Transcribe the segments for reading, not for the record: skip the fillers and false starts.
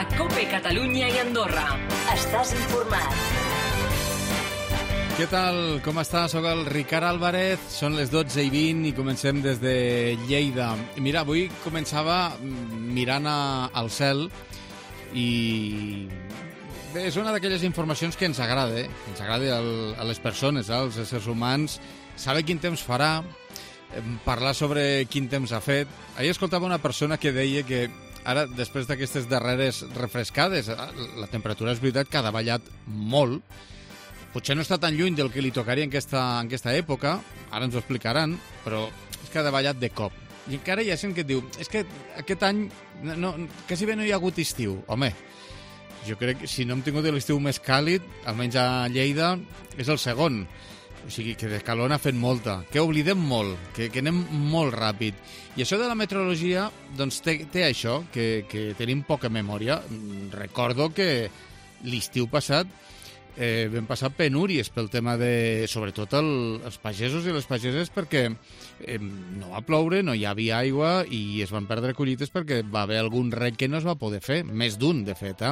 a COPE Catalunya i Andorra. Estàs informat. Què tal? Com està? Soc el Ricard Álvarez, són les 12:20 i comencem des de Lleida. Mira, avui començava mirant al cel i bé, és una d'aquelles informacions que ens agrada, a les persones, als éssers humans, saber quin temps farà, parlar sobre quin temps ha fet. Ahir escoltava una persona que deia que ara, després d'aquestes darreres refrescades, la temperatura és veritat que ha davallat molt. Potser no està tan lluny del que li tocaria en aquesta època, ara ens ho explicaran, però és que ha davallat de cop. I encara hi ha gent que et diu, és que aquest any quasi bé no hi ha hagut estiu. Home, jo crec que si no hem tingut l'estiu més càlid, almenys a Lleida, és el segon. O sigui, que de calor n'ha fet molta, que oblidem molt, que anem molt ràpid. I això de la meteorologia, doncs té això, que tenim poca memòria. Recordo que l'estiu passat vam passar penúries pel tema de, sobretot, els pagesos i les pageses, perquè no va ploure, no hi havia aigua i es van perdre collites perquè va haver algun rec que no es va poder fer, més d'un, de fet.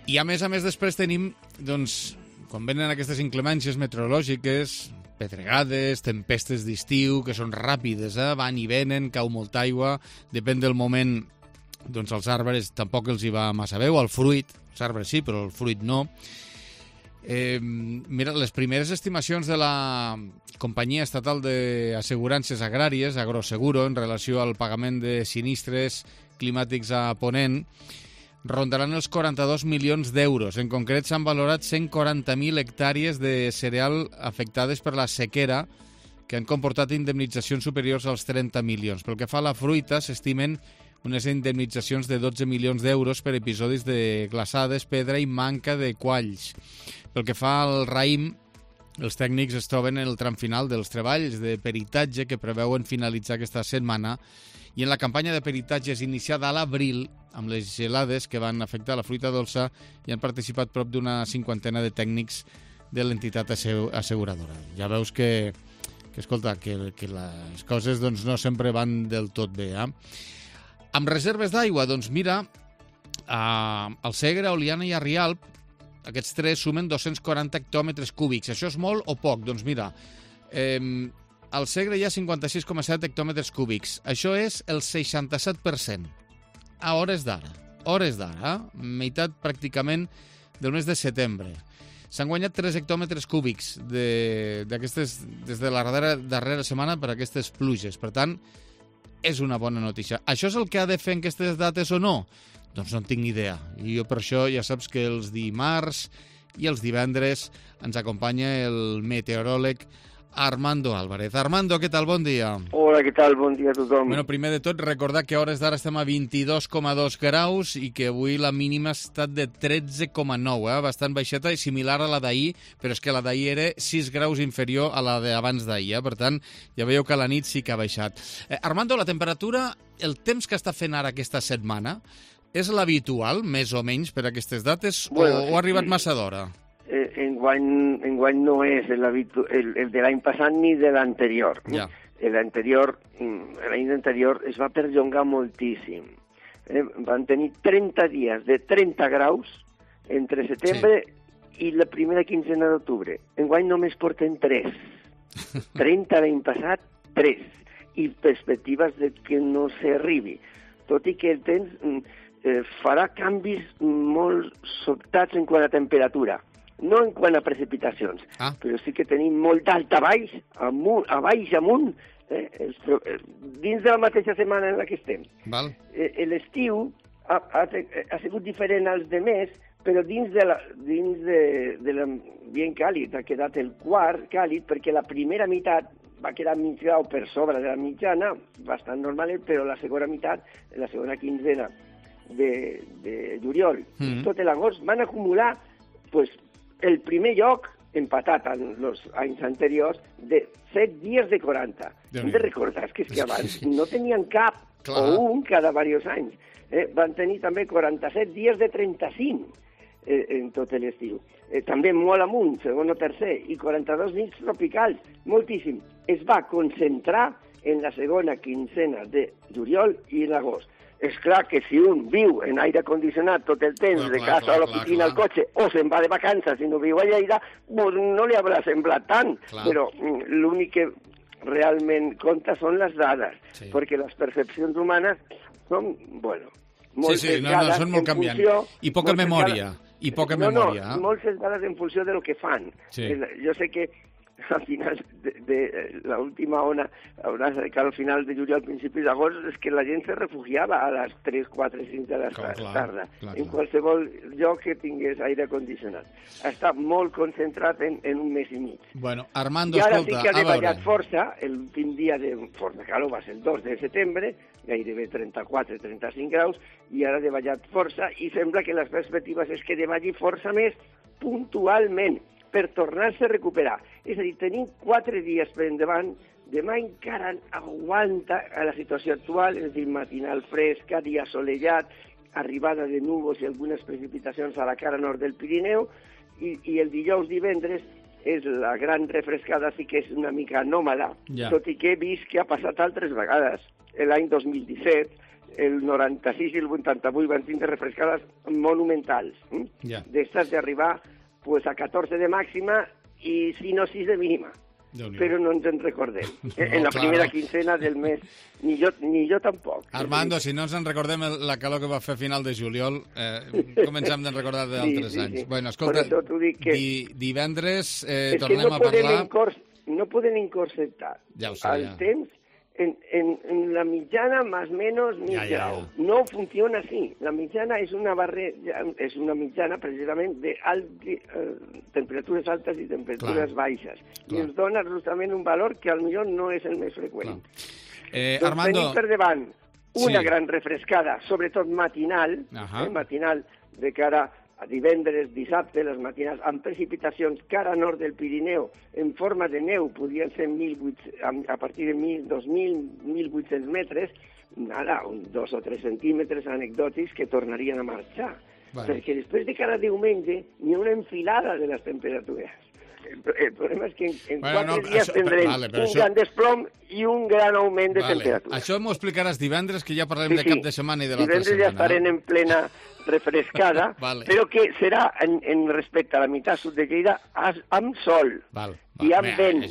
I a més després tenim, doncs, quan venen aquestes inclemències meteorològiques, pedregades, tempestes d'estiu, que són ràpides, van i venen, cau molta aigua, depèn del moment, doncs als arbres tampoc els hi va massa bé, o al fruit, els arbres sí, però el fruit no. Mira, les primeres estimacions de la Companyia Estatal d'Assegurances Agràries, Agroseguro, en relació al pagament de sinistres climàtics a Ponent, rondaran els 42 milions d'euros. En concret, s'han valorat 140.000 hectàrees de cereal afectades per la sequera, que han comportat indemnitzacions superiors als 30 milions. Pel que fa a la fruita, s'estimen unes indemnitzacions de 12 milions d'euros per episodis de glaçades, pedra i manca de qualls. Pel que fa al raïm, els tècnics es troben en el tram final dels treballs de peritatge que preveuen finalitzar aquesta setmana, i en la campanya de peritatges iniciada a l'abril, amb les gelades que van afectar la fruita dolça, hi han participat prop d'una 50ena de tècnics de l'entitat asseguradora. Ja veus que escolta, que les coses doncs, no sempre van del tot bé. Amb reserves d'aigua, doncs mira, al Segre, a Oliana i a Rialp, aquests tres sumen 240 hectòmetres cúbics. Això és molt o poc? Doncs mira, al Segre hi ha 56,7 hectòmetres cúbics. Això és el 67%. A hores d'ara, meitat pràcticament del mes de setembre. S'han guanyat 3 hectòmetres cúbics des de la darrera setmana per aquestes pluges. Per tant, és una bona notícia. Això és el que ha de fer en aquestes dates o no? Doncs no en tinc ni idea. I jo per això ja saps que els dimarts i els divendres ens acompanya el meteoròleg Armando Álvarez. Armando, què tal? Bon dia. Hola, què tal? Bon dia a tothom. Bueno, primer de tot, recordar que a hores d'ara estem a 22,2 graus i que avui la mínima ha estat de 13,9, bastant baixeta i similar a la d'ahir, però és que la d'ahir era 6 graus inferior a la d'abans d'ahir, per tant, ja veieu que la nit sí que ha baixat. Armando, la temperatura, el temps que està fent ara aquesta setmana, és l'habitual, més o menys, per aquestes dates, bueno, o ha arribat massa d'hora? Enguany no és el de l'any passat ni de l'anterior. Ja. L'any anterior es va perllongar moltíssim. Van tenir 30 dies de 30 graus entre setembre i la primera quincena d'octubre. Enguany només porten 3. 30 l'any passat, 3. I perspectives de que no s'arribi. Tot i que el temps farà canvis molt sobtats en quant a temperatura. No en quant a precipitacions, però sí que tenim molt d'alt a baix, a baix amunt, dins de la mateixa setmana en la que estem. L'estiu ha sigut diferent als demés, però dins de l'ambient càlid ha quedat el quart càlid, perquè la primera meitat va quedar mig grau per sobre de la mitjana, bastant normal, però la segona meitat, la segona quinzena de juliol, tot l'agost, van acumular el primer lloc, empatat en els anys anteriors, de 7 dies de 40. Hem de recordar que abans no tenien cap, o un cada diversos anys. Van tenir també 47 dies de 35 en tot l'estiu. També molt amunt, segon o tercer, i 42 nits tropicals, moltíssim. Es va concentrar en la segona quincena de juliol i l'agost. És clar que si un viu en aire condicionat tot el temps, de casa a l'oficina al cotxe, o se'n va de vacances i no viu a Lleida, pues no li haurà semblat tant. Però l'únic que realment compta són les dades, perquè les percepcions humanes són, bueno, molt sesgades són molt canviants. I poca memòria. I poca memòria. No, molt sesgades en funció de lo que fan. Jo sé que al final de l'última ona, al final de juliol, al principi d'agost, és que la gent se refugiava a les 3, 4, 5 de la tarda, en qualsevol lloc que tingués aire condicionat. Està molt concentrat en un mes i mig. Bueno, Armando, I ara escolta, sí que ha davallat força, l'últim dia de força calor va ser el 2 de setembre, gairebé 34-35 graus, i ara ha davallat força, i sembla que les perspectives és que davalli força més puntualment, per tornar-se a recuperar. És a dir, tenim 4 dies per endavant, demà encara aguanta a la situació actual, és a dir, matinal fresca, dia assolellat, arribada de núvols i algunes precipitacions a la cara nord del Pirineu, i el dijous divendres és la gran refrescada, sí que és una mica anòmala, tot i que he vist que ha passat altres vegades. L'any 2017, el 96 i el 88 van tindre refrescades monumentals, d'estes d'arribar pues a 14 de màxima i 5 o 6 de mínima. Però no ens en recordem. En la primera quincena del mes, ni jo tampoc. Armando, si no ens en recordem la calor que va fer a final de juliol, comencem a recordar d'altres anys. Bueno, escolta, divendres tornem a parlar... No poden encorsetar el temps en la mitjana más menos mig grau. No funciona así. La mitjana és una mitjana precisament de temperatures altes i temperatures baixes. I ens dona justament un valor que potser no és el més freqüent. Armando... Tenim per davant una gran refrescada, sobretot matinal, matinal de cara a divendres, dissabte, les matinals, amb precipitacions cara nord del Pirineu, en forma de neu, podrien ser a partir de 2.000, 1.800 metres, ara, 2 o 3 centímetres anecdòtics que tornarien a marxar. Perquè després de cada diumenge n'hi ha una enfilada de les temperatures. El problema és que en 4 dies tindrem un gran desplom i un gran augment de temperatura. Això m'ho explicaràs divendres, que ja parlarem de cap de setmana i de l'altra setmana. Divendres ja estarem en plena refrescada, però que serà en respecte a la meitat sud de Lleida amb sol i amb vent.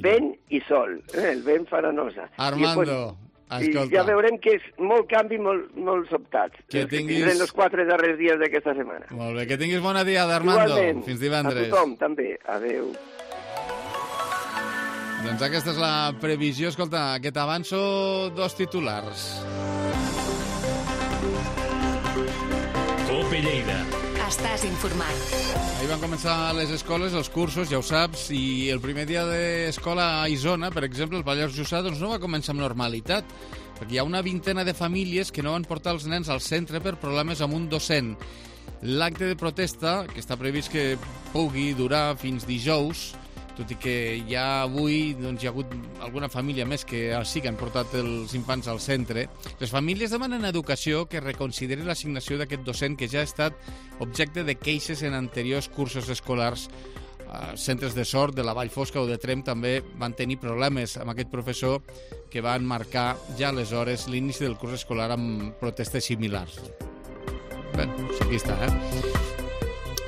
Vent i sol. El vent farà nosa. Armando, escolta. I ja veurem que és molt canvi, molt sobtat. Que tindrem els 4 darrers dies d'aquesta setmana. Molt bé, que tinguis bona diada, Armando. Igualment. Fins divendres. A tothom, també. Adéu. Doncs aquesta és la previsió. Escolta, que t'avanço 2 titulars. Cope Lleida. Estàs informat. Ahir van començar les escoles, els cursos, ja ho saps, i el primer dia d'escola a Isona, per exemple, el Pallars Jussà, doncs no va començar amb normalitat, perquè hi ha una vintena de famílies que no van portar els nens al centre per problemes amb un docent. L'acte de protesta, que està previst que pugui durar fins dijous, tot i que ja avui doncs, hi ha hagut alguna família més que sí que han portat els infants al centre. Les famílies demanen a Educació que reconsideri l'assignació d'aquest docent que ja ha estat objecte de queixes en anteriors cursos escolars. Centres de Sort, de la Vall Fosca o de Tremp també van tenir problemes amb aquest professor que van marcar ja aleshores l'inici del curs escolar amb protestes similars. Bé, aquí està,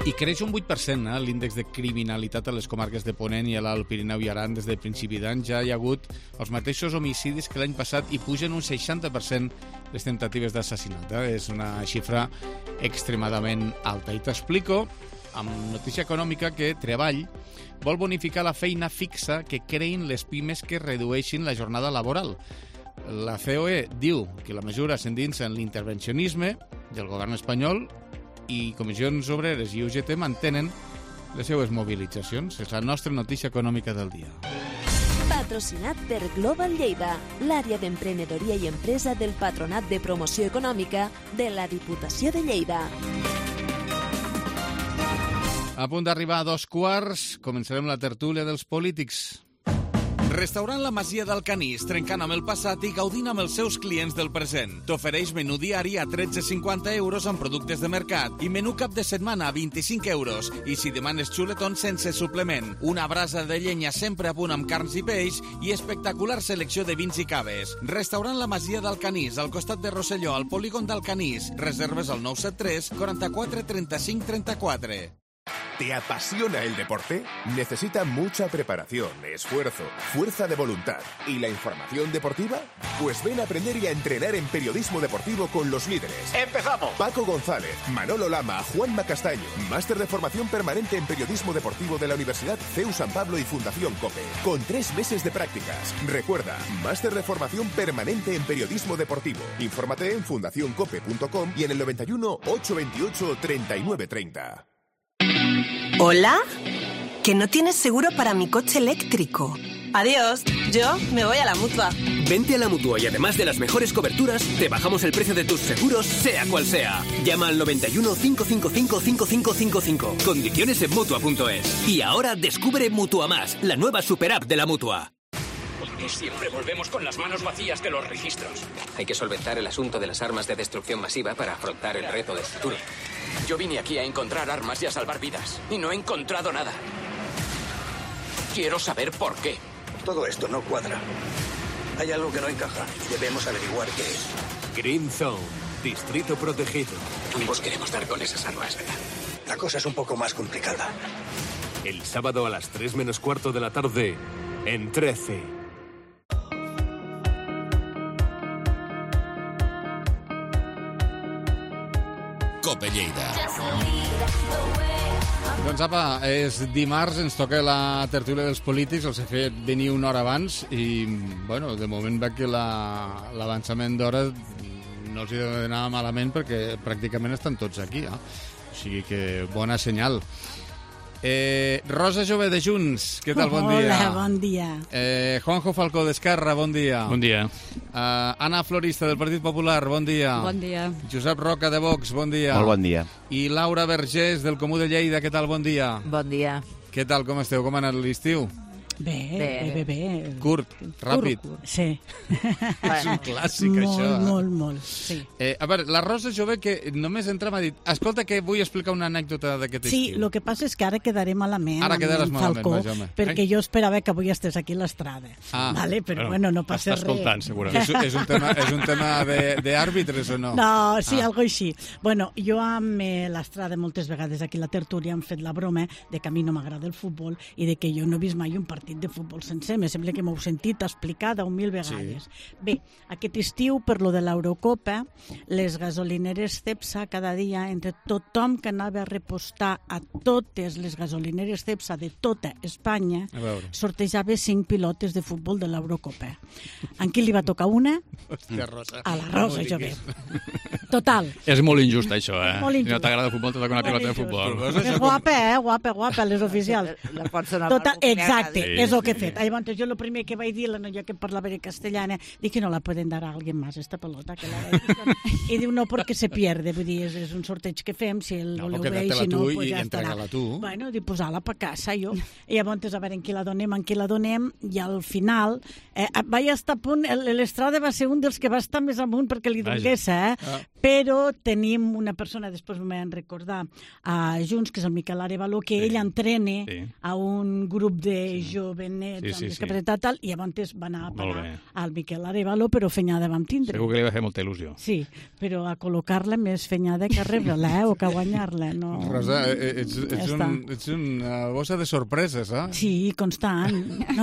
I creix un 8% l'índex de criminalitat a les comarques de Ponent i a l'Alt Pirineu i Aran des del principi d'any. Ja hi ha hagut els mateixos homicidis que l'any passat i pugen un 60% les temptatives d'assassinat. És una xifra extremadament alta. I t'explico, amb notícia econòmica, que Treball vol bonificar la feina fixa que creïn les pimes que redueixin la jornada laboral. La COE diu que la mesura s'endinsa en l'intervencionisme del govern espanyol i Comissions Obreres i UGT mantenen les seues mobilitzacions. És la nostra notícia econòmica del dia. Patrocinat per Global Lleida, l'àrea d'emprenedoria i empresa del Patronat de Promoció Econòmica de la Diputació de Lleida. A punt d'arribar a 2:15, començarem la tertúlia dels polítics. Restaurant La Masia d'Alcanís, trencant amb el passat i gaudint amb els seus clients del present. T'ofereix menú diari a 13,50 euros amb productes de mercat i menú cap de setmana a 25 euros. I si demanes xuletons sense suplement, una brasa de llenya sempre a punt amb carns i peix i espectacular selecció de vins i caves. Restaurant La Masia d'Alcanís, al costat de Rosselló, al polígon d'Alcanís. Reserves al 973 44 35 34. ¿Te apasiona el deporte? Necesita mucha preparación, esfuerzo, fuerza de voluntad y la información deportiva. Pues ven a aprender y a entrenar en periodismo deportivo con los líderes. ¡Empezamos! Paco González, Manolo Lama, Juanma Castaño. Máster de formación permanente en periodismo deportivo de la Universidad CEU San Pablo y Fundación COPE. Con 3 meses de prácticas. Recuerda, máster de formación permanente en periodismo deportivo. Infórmate en fundacioncope.com y en el 91 828 3930. ¿Hola? Que no tienes seguro para mi coche eléctrico. Adiós, yo me voy a la Mutua. Vente a la Mutua y además de las mejores coberturas, te bajamos el precio de tus seguros, sea cual sea. Llama al 91 555 5555. Condiciones en Mutua.es. Y ahora descubre Mutua Más, la nueva superapp de la Mutua. Y siempre volvemos con las manos vacías de los registros. Hay que solventar el asunto de las armas de destrucción masiva para afrontar el reto del futuro. Yo vine aquí a encontrar armas y a salvar vidas, y no he encontrado nada. Quiero saber por qué. Todo esto no cuadra. Hay algo que no encaja y debemos averiguar qué es. Green Zone, distrito protegido. Ambos queremos dar con esas armas, ¿verdad? La cosa es un poco más complicada. El sábado a las 3 menos cuarto de la tarde, en 13. Cope Lleida. Doncs apa, és dimarts, ens toca la tertúlia dels polítics, els he fet venir una hora abans i, bueno, de moment veig que l'avançament d'hora no els hi deu anar malament perquè pràcticament estan tots aquí, O sigui que bona senyal. Rosa Jové de Junts, què tal? Bon dia. Hola, bon dia. Juanjo Falcó d'Esquerra, bon dia. Bon dia. Anna Florista del Partit Popular, bon dia. Bon dia. Josep Roca de Vox, bon dia. Molt bon dia. I Laura Vergés del Comú de Lleida, què tal? Bon dia. Bon dia. Què tal, com esteu? Com ha anat l'estiu? Bé. Curt, ràpid. Sí. És un clàssic, això. Molt, sí. A veure, la Rosa Jové, que només entra m'ha dit escolta que vull explicar una anècdota d'aquest estiu. Sí, el que passa és que ara quedaré malament ara quedaràs malament, Falcó, vaja, perquè jo esperava que avui estés aquí a l'estrada. Vale? Però bueno, no passa res. Està escoltant, segurament. És un tema d'àrbitres o no? No, sí, algo així. Bueno, jo amb l'estrada moltes vegades aquí a la tertúlia hem fet la broma de que a mi no m'agrada el futbol i de que jo no he vist mai un partit de futbol sencer. Me sembla que m'heu sentit explicar 10.000 vegades. Sí. Bé, aquest estiu, per lo de l'Eurocopa, les gasolineres Cepsa cada dia, entre tothom que anava a repostar a totes les gasolineres Cepsa de tota Espanya, sortejava 5 pilotes de futbol de l'Eurocopa. A qui li va tocar una? Hòstia, Rosa. A la Rosa Jové. Total. És molt injust, això, Molt injust. Si no t'agrada el futbol, te toca una pilota de futbol. És guapa, les oficials. La persona Total, exacte, és el que he fet. Llavors, jo el primer que vaig dir, la noia que parlava en castellana, dic que no la pueden dar a alguien más, esta pelota. Que I diu, no, perquè se pierde. Vull dir, és un sorteig que fem, si el voleu bé, i si no, pues ja estarà. Bueno, dic, posar-la per casa, jo. I llavors, a veure en qui la donem, i al final, vaig estar a punt, l'Estrada va ser un dels que va estar més amunt perquè li donés, però tenim una persona, després m'ho van recordar, a Junts, que és el Miquel Arevalo, que ell entrena a un grup de jovenets amb discapacitat tal, i llavors va anar a parar al Miquel Arevalo, però fenyada vam tindre. Segur que li va fer molta il·lusió. Sí, però a col·locar-la més fenyada que rebre-la, o que guanyar-la. No... Rosa, ets una bossa de sorpreses, Sí, constant.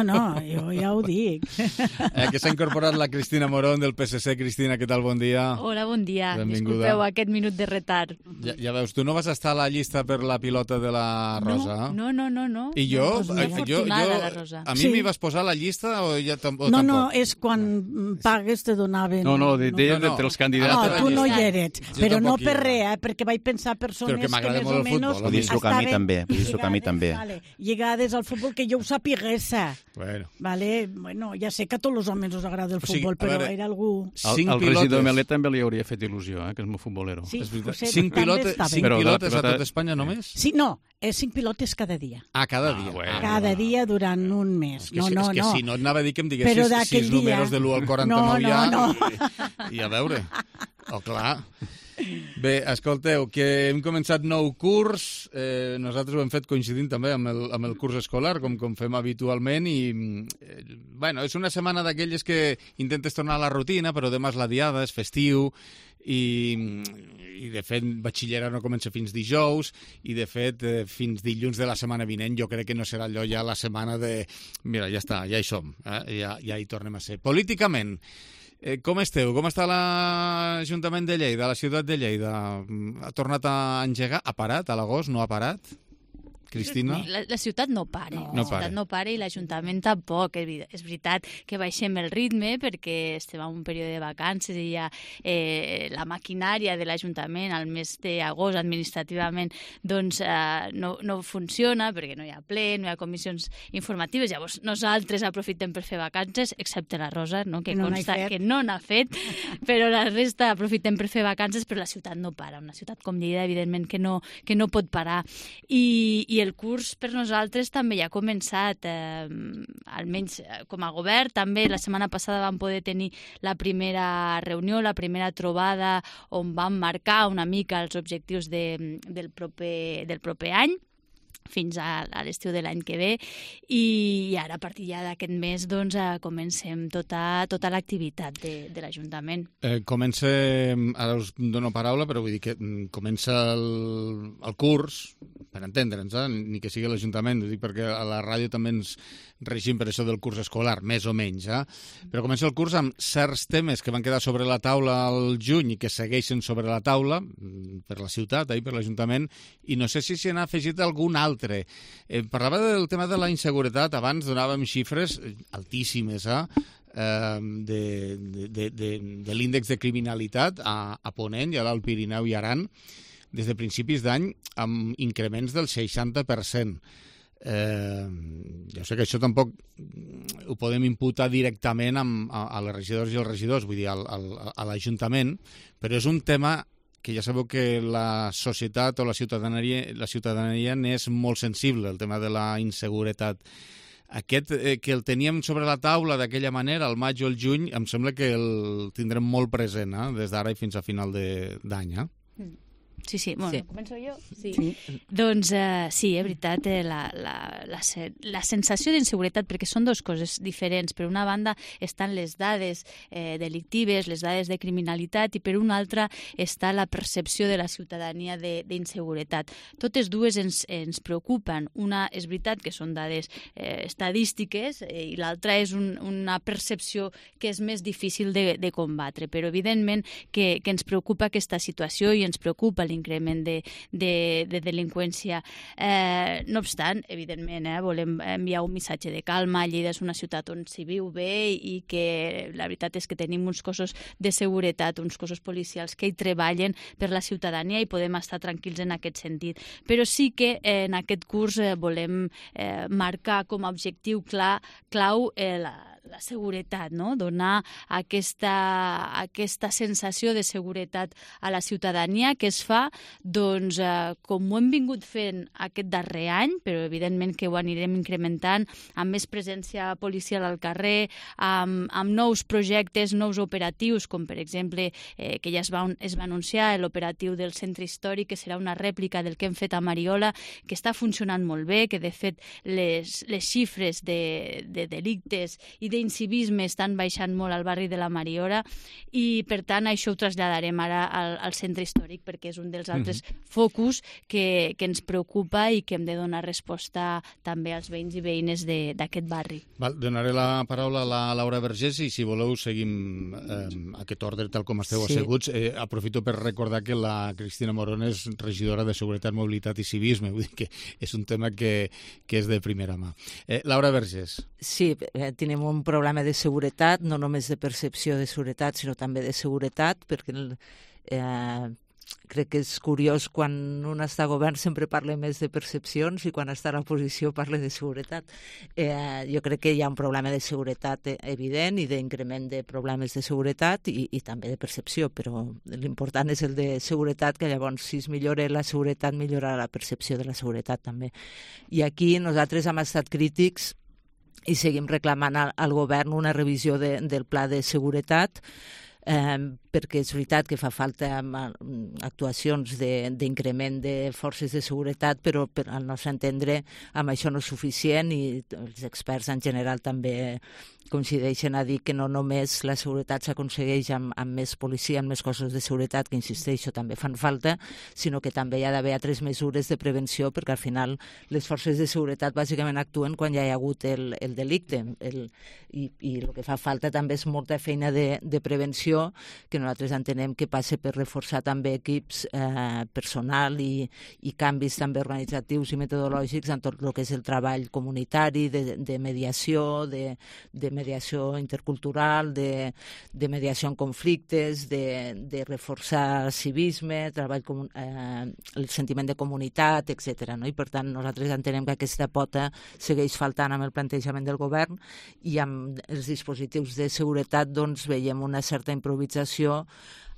No, jo ja ho dic. Que s'ha incorporat la Cristina Morón del PSC. Cristina, què tal? Bon dia. Hola, bon dia. Benvinguda. Disculpeu aquest minut de retard. Ja veus, tu no vas estar a la llista per la pilota de la Rosa? No. I jo? La Rosa. A mi m'hi vas posar a la llista o ja tampoc? No, és quan pagues te donaven... No, entre els candidats. No, tu no hi eres, però no per res, perquè vaig pensar persones que més o menys... Vull dir que a mi també. Lligades al futbol, que jo ho sapigués. Bueno, ja sé que a tots els homes us agrada el futbol, però era algú... Al regidor Melet també li hauria fet il·lusió il·lusió, que és molt futbolero. Sí, És veritat. Josep, 5 pilotes, també està bé. 5 Però de la pilotes a pilota- tot Espanya només? Sí, no, 5 pilotes cada dia. Ah, cada dia. bueno. Cada dia durant un mes. És que si no et anava a dir que em diguessis Però d'aquell 6 dia- números de l'1 al 49 I a veure. Oh, clar. Bé, escolteu, que hem començat nou curs, nosaltres ho hem fet coincidint també amb el curs escolar, com fem habitualment, i bueno, és una setmana d'aquelles que intentes tornar a la rutina, però demà és la diada, és festiu, i de fet batxillerat no comença fins dijous, i de fet fins dilluns de la setmana vinent jo crec que no serà allò ja la setmana de mira, ja està, ja hi som, ja hi tornem a ser. Políticament, com esteu? Com està l'Ajuntament de Lleida, la ciutat de Lleida? Ha tornat a engegar? Ha parat a l'agost? No ha parat? Cristina? La ciutat no para. No La ciutat para. no para i l'Ajuntament tampoc. És veritat que baixem el ritme perquè estem en un període de vacances i ja la maquinària de l'Ajuntament al mes d'agost administrativament doncs no funciona perquè no hi ha ple, no hi ha comissions informatives. Llavors nosaltres aprofitem per fer vacances, excepte la Rosa, no? Que No consta n'ha fet. que no n'ha fet, però la resta aprofitem per fer vacances, però la ciutat no para. Una ciutat com Lleida, evidentment, que no pot parar. I el curs per nosaltres també ja ha començat, almenys com a govern. També la setmana passada vam poder tenir la primera reunió, la primera trobada, on vam marcar una mica els objectius del proper any, fins a l'estiu de l'any que ve, i ara a partir ja d'aquest mes doncs comencem tota l'activitat de l'Ajuntament. Comença, ara us dono paraula, però vull dir que comença el curs, per entendre'ns, ni que sigui l'Ajuntament, ho dic perquè a la ràdio també ens regim per això del curs escolar, més o menys, però comença el curs amb certs temes que van quedar sobre la taula al juny i que segueixen sobre la taula per la ciutat, per l'Ajuntament, i no sé si s'hi n'ha afegit algun altre. Parlava del tema de la inseguretat, abans donàvem xifres altíssimes, de l'índex de criminalitat a Ponent i a l'Alt Pirineu i Aran, des de principis d'any amb increments del 60%. Jo sé que això tampoc ho podem imputar directament a les regidors i els regidors, vull dir, a l'Ajuntament, però és un tema que ja sabeu que la societat o la ciutadania n'és molt sensible, el tema de la inseguretat. Aquest que el teníem sobre la taula d'aquella manera, al maig o el juny, em sembla que el tindrem molt present, des d'ara i fins a final d'any. Sí. Bueno, Sí. començo jo? Sí. Doncs sí, és veritat, la sensació d'inseguretat, perquè són dues coses diferents. Per una banda estan les dades delictives, les dades de criminalitat, i per una altra està la percepció de la ciutadania d'inseguretat. Totes dues ens preocupen. Una és veritat que són dades estadístiques i l'altra és una percepció que és més difícil de combatre, però evidentment que ens preocupa aquesta situació i ens preocupa l'increment de delinqüència. No obstant, evidentment, volem enviar un missatge de calma. Lleida és una ciutat on s'hi viu bé i que la veritat és que tenim uns cossos de seguretat, uns cossos policials que hi treballen per la ciutadania i podem estar tranquils en aquest sentit. Però sí que en aquest curs volem marcar com a objectiu clau la seguretat, no? Donar aquesta sensació de seguretat a la ciutadania que es fa, doncs, com ho hem vingut fent aquest darrer any, però evidentment que ho anirem incrementant amb més presència policial al carrer, amb nous projectes, nous operatius, com per exemple que ja es va anunciar l'operatiu del centre històric, que serà una rèplica del que hem fet a Mariola, que està funcionant molt bé, que de fet les xifres de delictes i d'incivisme estan baixant molt al barri de la Mariola, i per tant això ho traslladarem ara al centre històric, perquè és un dels altres focus que ens preocupa i que hem de donar resposta també als veïns i veïnes d'aquest barri. Donaré la paraula a la Laura Vergés i si voleu seguim aquest ordre tal com esteu asseguts. Aprofito per recordar que la Cristina Morón és regidora de Seguretat, Mobilitat i Civisme, vull dir que és un tema que és de primera mà. Laura Vergés. Sí, tenim un problema de seguretat, no només de percepció de seguretat, sinó també de seguretat, perquè crec que és curiós, quan un està a govern sempre parla més de percepcions i quan està a l'oposició parla de seguretat. Jo crec que hi ha un problema de seguretat evident i d'increment de problemes de seguretat i també de percepció, però l'important és el de seguretat, que llavors si es millora la seguretat millorarà la percepció de la seguretat també. I aquí nosaltres hem estat crítics i seguim reclamant al govern una revisió del pla de seguretat, perquè és veritat que fa falta actuacions d'increment de forces de seguretat, però al nostre entendre amb això no és suficient, i els experts en general també coincideixen a dir que no només la seguretat s'aconsegueix amb més policia, amb més cossos de seguretat, que insisteixo, també fan falta, sinó que també hi ha d'haver altres mesures de prevenció, perquè al final les forces de seguretat bàsicament actuen quan ja hi ha hagut el delicte, i el que fa falta també és molta feina de prevenció, que nosaltres entenem que passa per reforçar també equips, personal i canvis també organitzatius i metodològics en tot el que és el treball comunitari, de mediació, de mediació intercultural, de mediació en conflictes, de reforçar el civisme, el sentiment de comunitat, etc. I per tant nosaltres entenem que aquesta pota segueix faltant amb el plantejament del govern, i amb els dispositius de seguretat doncs veiem una certa improvisació.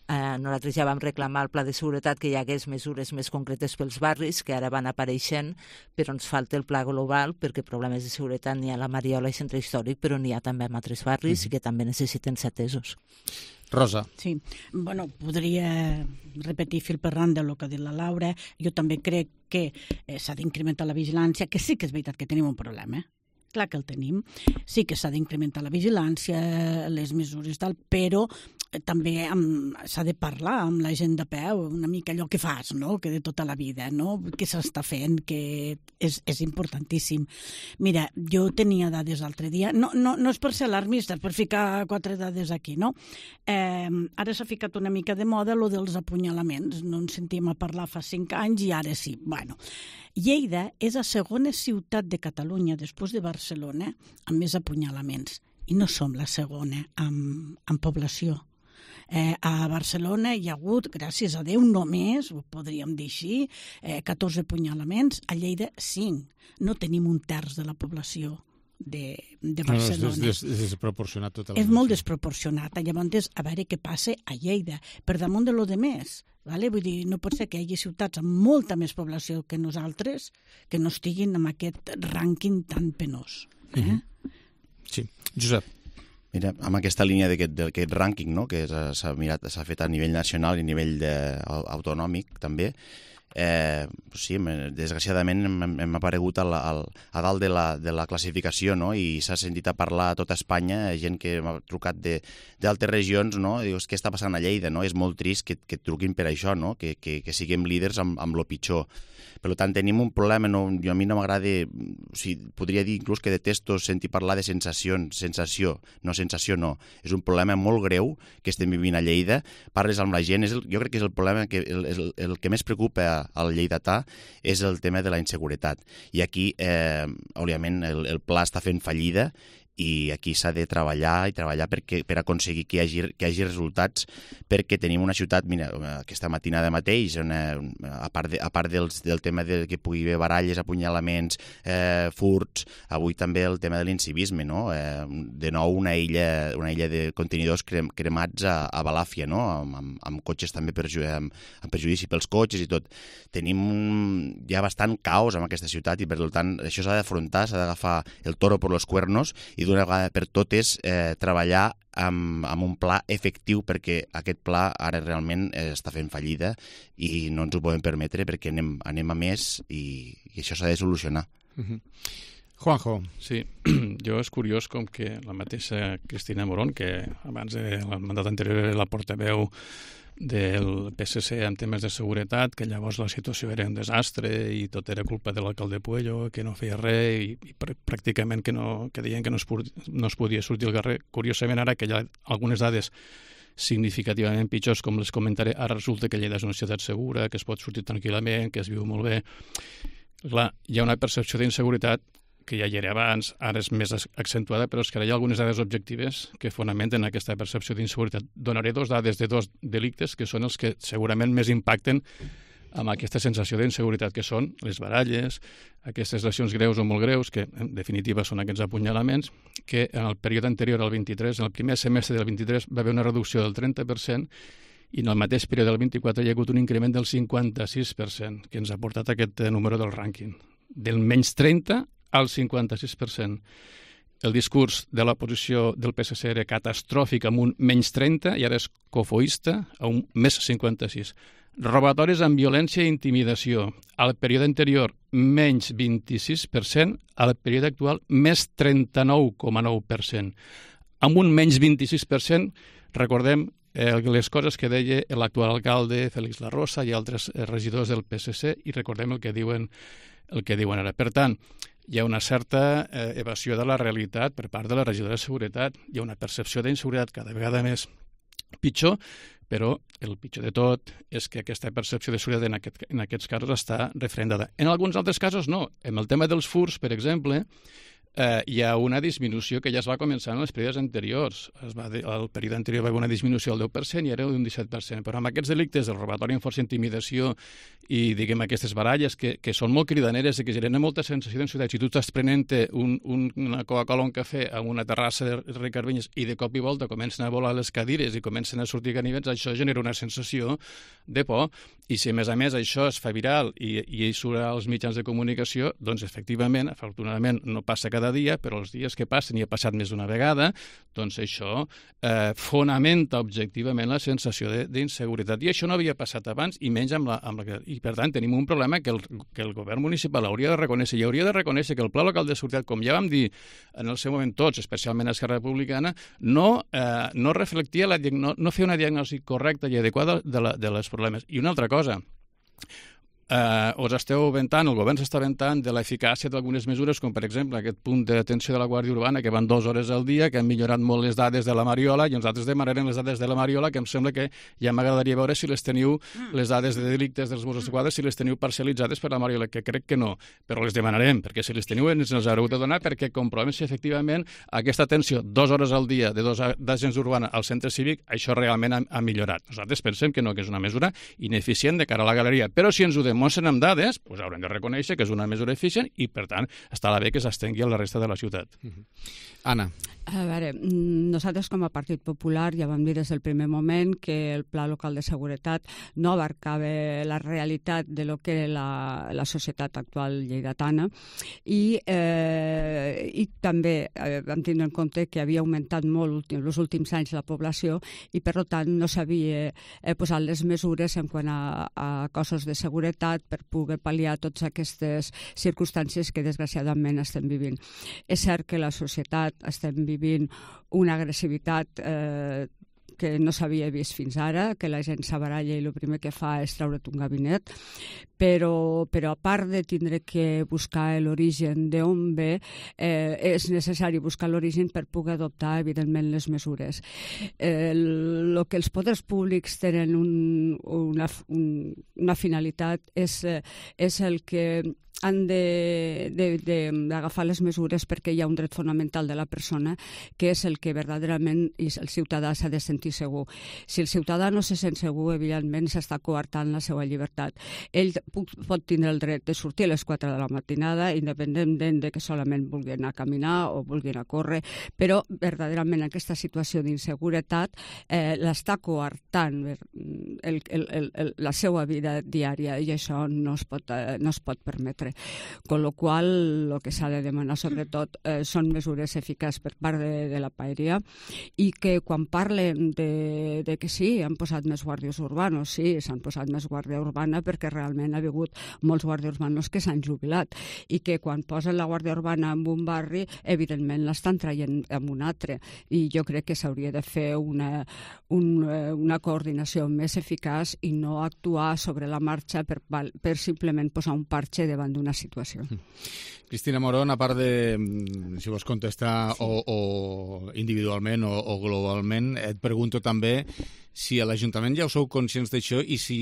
Nosaltres ja vam reclamar al pla de seguretat que hi hagués mesures més concretes pels barris, que ara van apareixent, però ens falta el pla global, perquè problemes de seguretat n'hi ha a la Mariola i Centre Històric, però n'hi ha també en altres barris i que també necessiten ser atesos. Rosa. Sí, bueno, podria repetir fil per randa el que ha dit la Laura. Jo també crec que s'ha d'incrementar la vigilància, que sí que és veritat que tenim un problema, clar que el tenim, sí que s'ha d'incrementar la vigilància, les mesures tal, però també s'ha de parlar amb la gent de peu, una mica allò que fas, no?, que de tota la vida, no?, què s'està fent, que és importantíssim. Mira, jo tenia dades l'altre dia, no és per ser alarmista, és per ficar 4 dades aquí, no? Ara s'ha ficat una mica de moda lo dels apunyalaments, no en sentíem a parlar fa 5 anys i ara sí. Bueno, Lleida és la segona ciutat de Catalunya, després de Barcelona, amb més apunyalaments, i no som la segona en població. A Barcelona hi ha hagut, gràcies a Déu, només, ho podríem dir així, 14 apunyalaments, a Lleida 5. No tenim un terç de la població de Barcelona. És desproporcionat totalment. És molt desproporcionat. Llavors, a veure què passa a Lleida, per damunt de lo de més. Vale? Vull dir, no pot ser que hi hagi ciutats amb molta més població que nosaltres que no estiguin en aquest rànquing tan penós. Sí. Josep. Mira, amb aquesta línia d'aquest rànquing, no?, que s'ha fet a nivell nacional i a nivell autonòmic també, sí, desgraciadament hem aparegut a dalt de la classificació, no?, i s'ha sentit a parlar a tota Espanya, gent que m'ha trucat d'altres regions, no?, i dius, què està passant a Lleida, no? És molt trist que et truquin per això, no?, que siguem líders amb lo pitjor. Per tant, tenim un problema, a mi no m'agrada, podria dir inclús que detesto sentir parlar de sensació no. És un problema molt greu que estem vivint a Lleida, parles amb la gent, jo crec que és el problema, el que més preocupa al lleidatà és el tema de la inseguretat. I aquí, òbviament, el pla està fent fallida, i aquí s'ha de treballar per aconseguir que hi hagi resultats, perquè tenim una ciutat, mira, aquesta matinada mateix, a part del tema que pugui haver baralles, apunyalaments, furts, avui també el tema de l'incivisme, no? De nou una illa de contenidors cremats a Balàfia, no?, amb cotxes també amb perjudici pels cotxes i tot. Tenim ja bastant caos en aquesta ciutat i per tant això s'ha d'afrontar, s'ha d'agafar el toro per los cuernos i d'una vegada per totes treballar amb un pla efectiu, perquè aquest pla ara realment està fent fallida i no ens ho podem permetre perquè anem a més i això s'ha de solucionar. Juanjo. Sí, jo és curiós com que la mateixa Cristina Morón, que abans del mandat anterior era la portaveu del PSC en temes de seguretat, que llavors la situació era un desastre i tot era culpa de l'alcalde Puello, que no feia res i pràcticament que deien que no es podia sortir al carrer. Curiosament, ara que hi ha algunes dades significativament pitjors, com les comentaré, ara resulta que Lleida és una ciutat segura, que es pot sortir tranquil·lament, que es viu molt bé. Clar, hi ha una percepció d'inseguretat que ja hi era abans, ara és més accentuada, però és que ara hi ha algunes dades objectives que fonamenten aquesta percepció d'inseguretat. Donaré dos dades de dos delictes que són els que segurament més impacten amb aquesta sensació d'inseguretat, que són les baralles, aquestes lesions greus o molt greus, que en definitiva són aquests apunyalaments, que en el període anterior al 23, en el primer semestre del 23, va haver una reducció del 30%, i en el mateix període del 24 hi ha hagut un increment del 56%, que ens ha portat aquest número del rànquing. Del menys 30 al 56%. El discurs de l'oposició del PSC era catastròfic amb un menys 30 i ara és cofoista a un més 56. Robatoris amb violència i intimidació. Al període anterior, menys 26%, al període actual, més 39,9%. Amb un menys 26%, recordem les coses que deia l'actual alcalde Félix Larrosa i altres regidors del PSC, i recordem el que diuen ara. Per tant, hi ha una certa evasió de la realitat per part de la regidora de Seguretat, hi ha una percepció d'inseguretat cada vegada més pitjor, però el pitjor de tot és que aquesta percepció de seguretat en aquests casos està referendada. En alguns altres casos no. En el tema dels furts, per exemple, hi ha una disminució que ja es va començar en els períodes anteriors. El període anterior va haver una disminució del 10% i era d'un 17%. Però amb aquests delictes, el robatori amb força intimidació i, diguem, aquestes baralles que són molt cridaneres i que generen molta sensació d'inseguretat. Si tu estàs prenent una Coca-Cola o un cafè a una terrassa de Ricard Vinyes i de cop i volta comencen a volar les cadires i comencen a sortir ganivets, això genera una sensació de por. I si a més això es fa viral i surt als mitjans de comunicació, doncs efectivament, afortunadament, no passa cada dia, però els dies que passen, i ha passat més d'una vegada, doncs això fonamenta objectivament la sensació d'inseguretat. I això no havia passat abans, i menys amb la... I, per tant, tenim un problema que el govern municipal hauria de reconèixer, i hauria de reconèixer que el Pla Local de Seguretat, com ja vam dir en el seu moment tots, especialment a Esquerra Republicana, no reflectia, no feia una diagnosi correcta i adequada dels problemes. I una altra cosa, us esteu ventant, el govern s'està ventant de l'eficàcia d'algunes mesures, com per exemple aquest punt d'atenció de la Guàrdia Urbana, que van 2 hores al dia, que han millorat molt les dades de la Mariola, i nosaltres demanarem les dades de la Mariola, que em sembla que ja m'agradaria veure si les teniu, les dades de delictes dels Mossos d'Esquadra, si les teniu parcialitzades per la Mariola, que crec que no, però les demanarem, perquè si les teniu ens les haureu de donar, perquè comprovem si efectivament aquesta atenció 2 hores al dia de 2 agents urbana al centre cívic, això realment ha millorat. Nosaltres pensem que no, que és una mesura ineficient de cara a la galeria, però si ens ho demostren amb dades, doncs haurem de reconèixer que és una mesura eficient i, per tant, estarà bé que s'estengui a la resta de la ciutat. Anna. A veure, nosaltres com a Partit Popular ja vam dir des del primer moment que el Pla Local de Seguretat no abarcava la realitat de lo que era la societat actual lleidatana i també vam tindre en compte que havia augmentat molt els últims anys la població i, per tant, no s'havia posat les mesures en quant a cossos de seguretat per poder pal·liar totes aquestes circumstàncies que desgraciadament estem vivint. És cert que la societat estem vivint una agressivitat que no s'havia vist fins ara, que la gent s'abaralla i el primer que fa és treure't un gabinet, però a part de tindre que buscar l'origen d'on ve, és necessari buscar l'origen per poder adoptar, evidentment, les mesures. El que els poders públics tenen una finalitat és el que han d'agafar les mesures perquè hi ha un dret fonamental de la persona que és el que verdaderament el ciutadà s'ha de sentir segur. Si el ciutadà no se sent segur, evidentment s'està coartant la seva llibertat. Ell pot tindre el dret de sortir a les 4 de la matinada, independentment de que solament vulgui anar a caminar o vulgui anar a córrer, però verdaderament aquesta situació d'inseguretat l'està coartant la seva vida diària i això no es pot permetre. Con lo qual, el que s'ha de demanar sobretot són mesures eficaces per part de la paeria i que quan parlen de que sí, han posat més guàrdies urbanos, sí, s'han posat més guàrdia urbana perquè realment ha hagut molts guàrdies urbanos que s'han jubilat i que quan posen la guàrdia urbana en un barri, evidentment l'estan traient en un altre i jo crec que s'hauria de fer una coordinació més eficaç i no actuar sobre la marxa per simplement posar un parche davant d'una situació. Cristina Morón, a part de, si vols contestar o individualment o globalment, et pregunto també si a l'Ajuntament ja us sou conscients d'això i si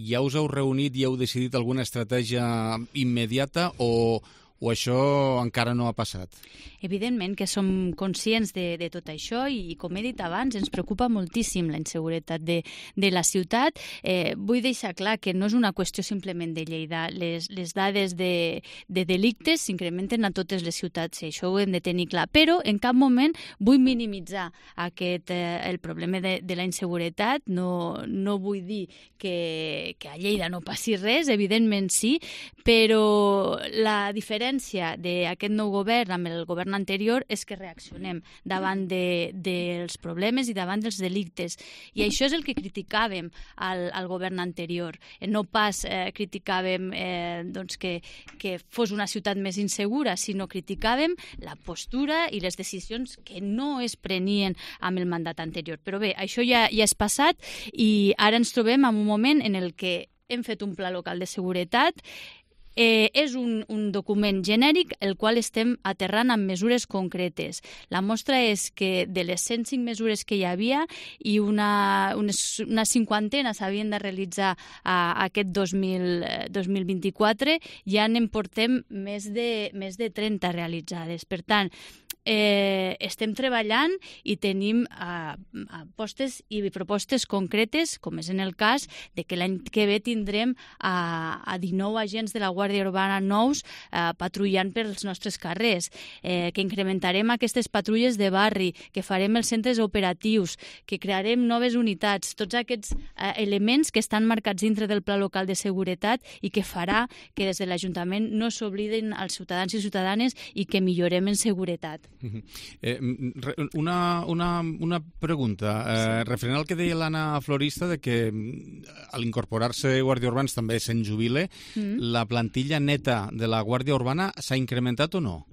ja us heu reunit i heu decidit alguna estratègia immediata o o això encara no ha passat? Evidentment que som conscients de tot això i, com he dit abans, ens preocupa moltíssim la inseguretat de la ciutat. Vull deixar clar que no és una qüestió simplement de Lleida. Les dades de delictes s'incrementen a totes les ciutats i això ho hem de tenir clar. Però en cap moment vull minimitzar el problema de la inseguretat. No vull dir que a Lleida no passi res, evidentment sí, però la diferència d'aquest nou govern amb el govern anterior és que reaccionem davant dels problemes i davant dels delictes. I això és el que criticàvem al govern anterior. No pas criticàvem que fos una ciutat més insegura, sinó criticàvem la postura i les decisions que no es prenien amb el mandat anterior. Però bé, això ja és passat i ara ens trobem en un moment en el que hem fet un pla local de seguretat. És un document genèric el qual estem aterrant amb mesures concretes. La mostra és que de les 105 mesures que hi havia i una cinquantena s'havien de realitzar aquest 2024, ja n'en portem més de 30 realitzades. Per tant, estem treballant i tenim apostes i propostes concretes, com és en el cas de que l'any que ve tindrem a 19 agents de la Guàrdia Urbana nous patrullant pels nostres carrers, que incrementarem aquestes patrulles de barri, que farem els centres operatius, que crearem noves unitats, tots aquests elements que estan marcats dintre del Pla Local de Seguretat i que farà que des de l'Ajuntament no s'obliden els ciutadans i ciutadanes i que millorem en seguretat. Una pregunta, referent al que deia l'Anna Florista de que a l'incorporar-se guàrdia urbans també se'n jubile, la plantilla neta de la Guàrdia Urbana s'ha incrementat o no?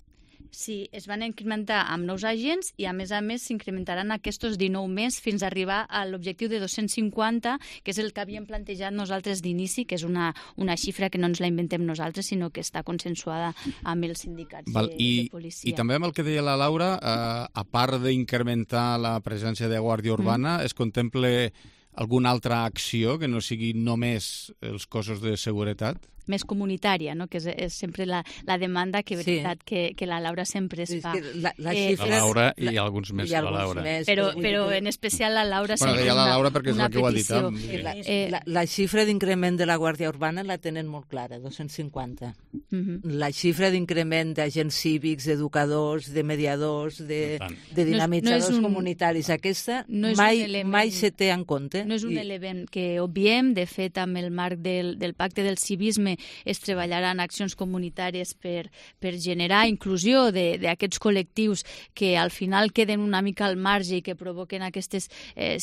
Sí, es van incrementar amb nous agents i, a més s'incrementaran aquests 19 més fins a arribar a l'objectiu de 250, que és el que havíem plantejat nosaltres d'inici, que és una xifra que no ens la inventem nosaltres, sinó que està consensuada amb els sindicats de policia. I també amb el que deia la Laura, a part d'incrementar la presència de Guàrdia Urbana, es contempla alguna altra acció que no sigui només els cossos de seguretat? Més comunitària, no? Que és sempre la demanda que, veritat, que la Laura sempre es fa. La Laura i alguns més que la Laura. Però en especial la Laura sempre deia la Laura perquè és la que ho ha dit. La xifra d'increment de la Guàrdia Urbana la tenen molt clara, 250. La xifra d'increment d'agents cívics, d'educadors, de mediadors, de dinamitzadors comunitaris, aquesta mai se té en compte. No és un element que obviem. De fet, amb el marc del Pacte del Civisme es treballaran accions comunitàries per generar inclusió d'aquests col·lectius que al final queden una mica al marge i que provoquen aquestes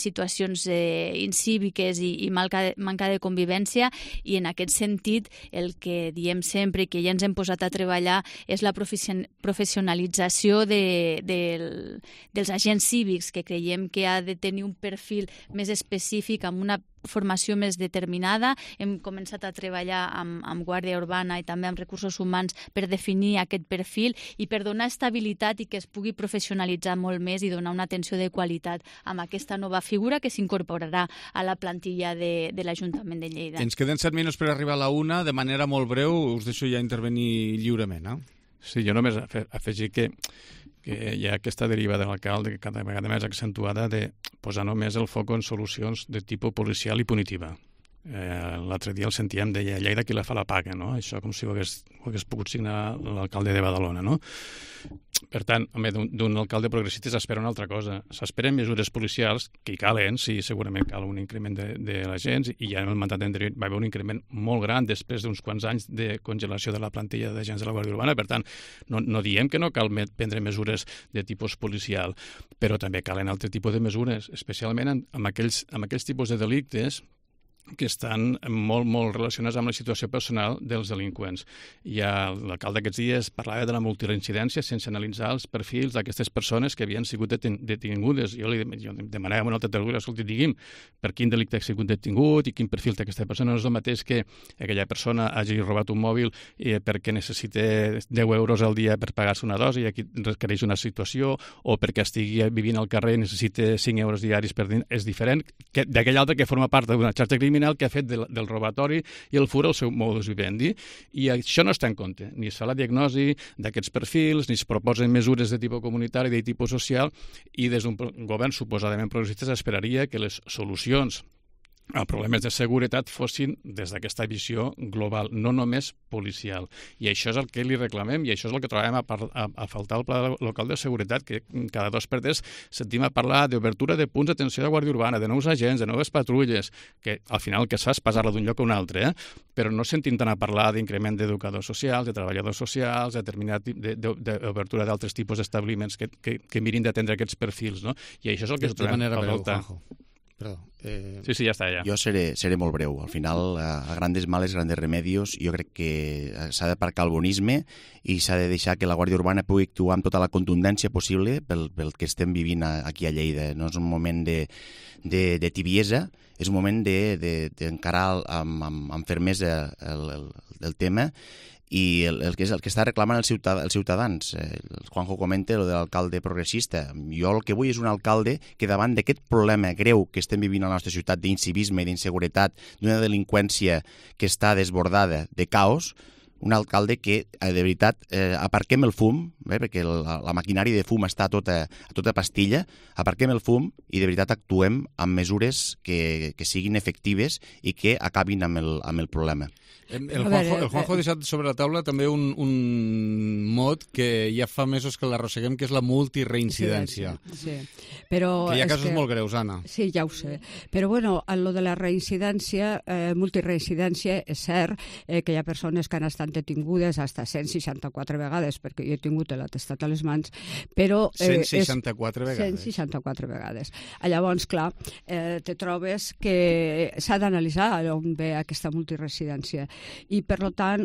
situacions incíviques i manca de convivència, i en aquest sentit el que diem sempre i que ja ens hem posat a treballar és la professionalització dels agents cívics, que creiem que ha de tenir un perfil més específic amb una formació més determinada. Hem començat a treballar amb Guàrdia Urbana i també amb recursos humans per definir aquest perfil i per donar estabilitat i que es pugui professionalitzar molt més i donar una atenció de qualitat amb aquesta nova figura que s'incorporarà a la plantilla de l'Ajuntament de Lleida. Ens queden 7 minuts per arribar a la 1. De manera molt breu, us deixo ja intervenir lliurement. Sí, jo només afegir que hi ha aquesta deriva de l'alcalde que cada vegada més accentuada de posar només el foc en solucions de tipus policial i punitiva. L'altre dia el sentíem, deia Lleida qui la fa la paga, no? Això com si ho hagués pogut signar l'alcalde de Badalona, no? Per tant, d'un alcalde progressista s'espera una altra cosa. S'esperen mesures policials que hi calen, sí, segurament cal un increment de l'agents, i ja en el mandat anterior va haver un increment molt gran després d'uns quants anys de congelació de la plantilla d'agents de la Guàrdia Urbana. Per tant, no diem que no cal prendre mesures de tipus policial, però també calen altre tipus de mesures, especialment amb aquells tipus de delictes que estan molt, molt relacionats amb la situació personal dels delinqüents. L'alcalde aquests dies parlava de la multireincidència sense analitzar els perfils d'aquestes persones que havien sigut detingudes. Jo demanava a una altra tertúlia, escolti, digui'm per quin delicte ha sigut detingut i quin perfil té aquesta persona. No és el mateix que aquella persona hagi robat un mòbil perquè necessita 10 euros al dia per pagar-se una dosi i aquí requereix una situació, o perquè estigui vivint al carrer i necessita 5 euros diaris per dir. És diferent d'aquell altre que forma part d'una xarxa criminal criminal que ha fet del robatori i el fur el seu modus vivendi. I això no està en compte. Ni es fa la diagnosi d'aquests perfils, ni es proposen mesures de tipus comunitari, de tipus social, i des d'un govern suposadament progressista s'esperaria que les solucions a problemes de seguretat fossin des d'aquesta visió global, no només policial. I això és el que li reclamem i això és el que trobem a faltar al Pla Local de Seguretat, que cada 2 per 3 sentim a parlar d'obertura de punts d'atenció de Guàrdia Urbana, de nous agents, de noves patrulles, que al final el que es fa és passar-la d'un lloc a un altre, però no sentim tant a parlar d'increment d'educadors socials, de treballadors socials, d'obertura d'altres tipus d'establiments que mirin d'atendre aquests perfils, no? I això és el que trobem a faltar. Sí, ja està, ja. Jo seré molt breu. Al final, a grandes males, grandes remedios, jo crec que s'ha d'aparcar el bonisme i s'ha de deixar que la Guàrdia Urbana pugui actuar amb tota la contundència possible pel que estem vivint aquí a Lleida. No és un moment de tibiesa, és un moment d'encarar amb fermesa el tema i el que està reclamant els ciutadans. El Juanjo comenta el de l'alcalde progressista. Jo el que vull és un alcalde que davant d'aquest problema greu que estem vivint a la nostra ciutat d'incivisme i d'inseguretat, d'una delinqüència que està desbordada, de caos, un alcalde que, de veritat, aparquem el fum, perquè la maquinària de fum està a tota pastilla, aparquem el fum i de veritat actuem amb mesures que siguin efectives i que acabin amb el problema. El Juanjo ha deixat sobre la taula també un mot que ja fa mesos que l'arrosseguem, que és la multireincidència. Sí. Però que hi ha casos molt greus, Anna. Sí, ja ho sé. Però bueno, en lo de la reincidència, multireincidència, és cert que hi ha persones que han estat detingudes fins a 164 vegades, perquè jo he tingut l'atestat a les mans, però... 164 vegades? 164 vegades. Llavors, clar, te trobes que s'ha d'analitzar on ve aquesta multireincidència. I, per tant,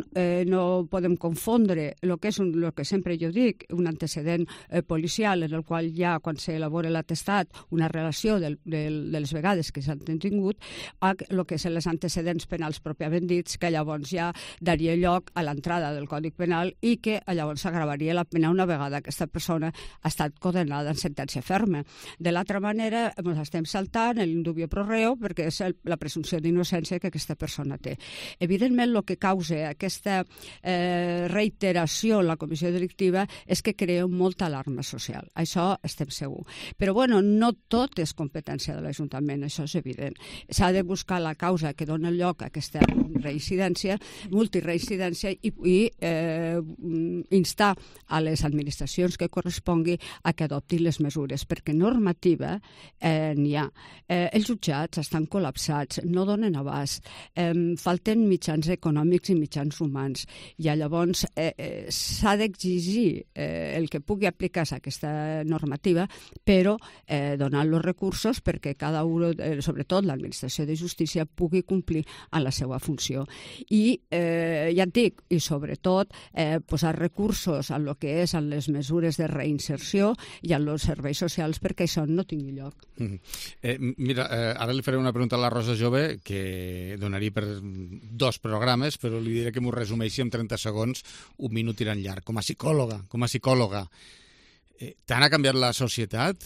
no podem confondre el que és el que sempre jo dic, un antecedent policial en el qual hi ha, quan s'elabora l'atestat, una relació de les vegades que s'han detingut, a el que són els antecedents penals pròpiament dits, que llavors ja daria lloc a l'entrada del Codi Penal i que llavors s'agravaria la pena una vegada aquesta persona ha estat condenada en sentència ferma. De l'altra manera, ens estem saltant l'indubio pro reo perquè és la presumpció d'innocència que aquesta persona té. Evidentment, el que causa aquesta reiteració en la comissió delictiva és que crea molta alarma social. Això estem segur. Però, bueno, no tot és competència de l'Ajuntament, això és evident. S'ha de buscar la causa que dona lloc a aquesta multireincidència i instar a les administracions que correspongui a que adoptin les mesures, perquè normativa n'hi ha. Els jutjats estan col·lapsats, no donen abast, falten mitjans econòmics i mitjans humans. I llavors s'ha d'exigir el que pugui aplicar-se a aquesta normativa, però donant els recursos perquè cada un, sobretot l'administració de justícia, pugui complir amb la seva funció. I ja et dic, i sobretot posar recursos en el que és en les mesures de reinserció i en els serveis socials perquè això no tingui lloc. Mira, ara li faré una pregunta a la Rosa Jove que donaria per 2 programes, però li diré que m'ho resumeixi en 30 segons, un minut tirant llarg. Com a psicòloga, tant ha canviat la societat?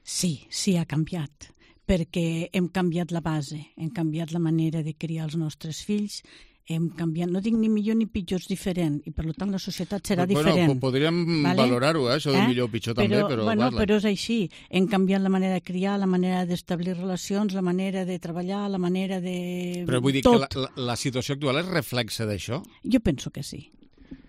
Sí, ha canviat, perquè hem canviat la base, hem canviat la manera de criar els nostres fills, hem canviat, no dic ni millor ni pitjor, és diferent, i per tant la societat serà diferent. Bueno, podríem valorar-ho, això de millor o pitjor també, però... Però és així, hem canviat la manera de criar, la manera d'establir relacions, la manera de treballar, la manera de... Però vull dir que la situació actual és reflexe d'això? Jo penso que sí.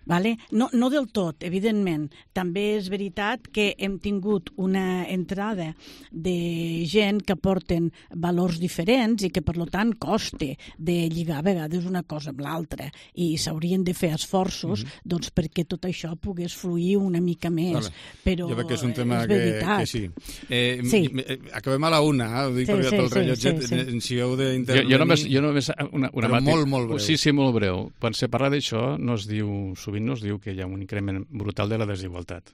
Vale? No del tot, evidentment. També és veritat que hem tingut una entrada de gent que porten valors diferents i que, per tant, costa de lligar a vegades una cosa amb l'altra i s'haurien de fer esforços doncs, perquè tot això pogués fluir una mica més. Però jo veig que és un tema que sí. Acabem a la 1, ho dic perquè el rellotget, si heu d'intervenir... Jo només però molt breu. Sí, molt breu. Quan se parla d'això, sovint no es diu que hi ha un increment brutal de la desigualtat.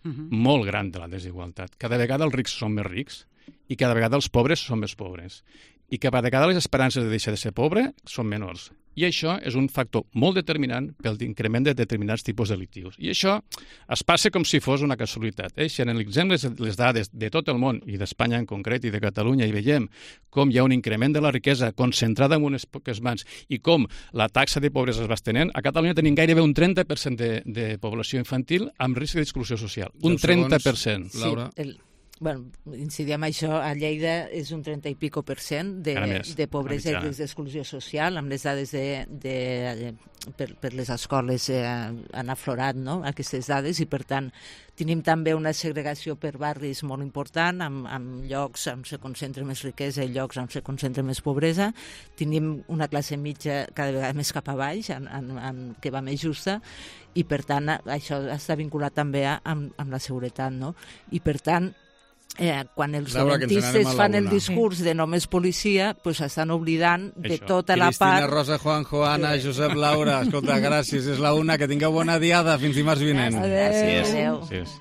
Molt gran de la desigualtat. Cada vegada els rics són més rics i cada vegada els pobres són més pobres. I cada vegada les esperances de deixar de ser pobre són menors. I això és un factor molt determinant pel increment de determinats tipus delictius. I això es passa com si fos una casualitat. Si analitzem les dades de tot el món, i d'Espanya en concret, i de Catalunya, i veiem com hi ha un increment de la riquesa concentrada en unes poques mans i com la taxa de pobresa es va estenent, a Catalunya tenim gairebé un 30% de població infantil amb risc d'exclusió social. Un 30%. Laura? Bueno, incidim això, a Lleida és un 30 i pico % de pobresa i d'exclusió social, amb les dades per les escoles han aflorat, no?, aquestes dades, i per tant tenim també una segregació per barris molt important, amb llocs on se concentra més riquesa i llocs on se concentra més pobresa. Tenim una classe mitja cada vegada més cap a baix, que va més justa, i per tant això està vinculat també amb la seguretat, no? I per tant, quan els dolentistes fan el discurs de només policia, pues estan oblidant de tota la part... Cristina, Rosa, Juanjo, Anna, Josep, Laura, escolta, gràcies, és la una, que tingueu bona diada, fins dimarts vinent. Adéu. Gràcies.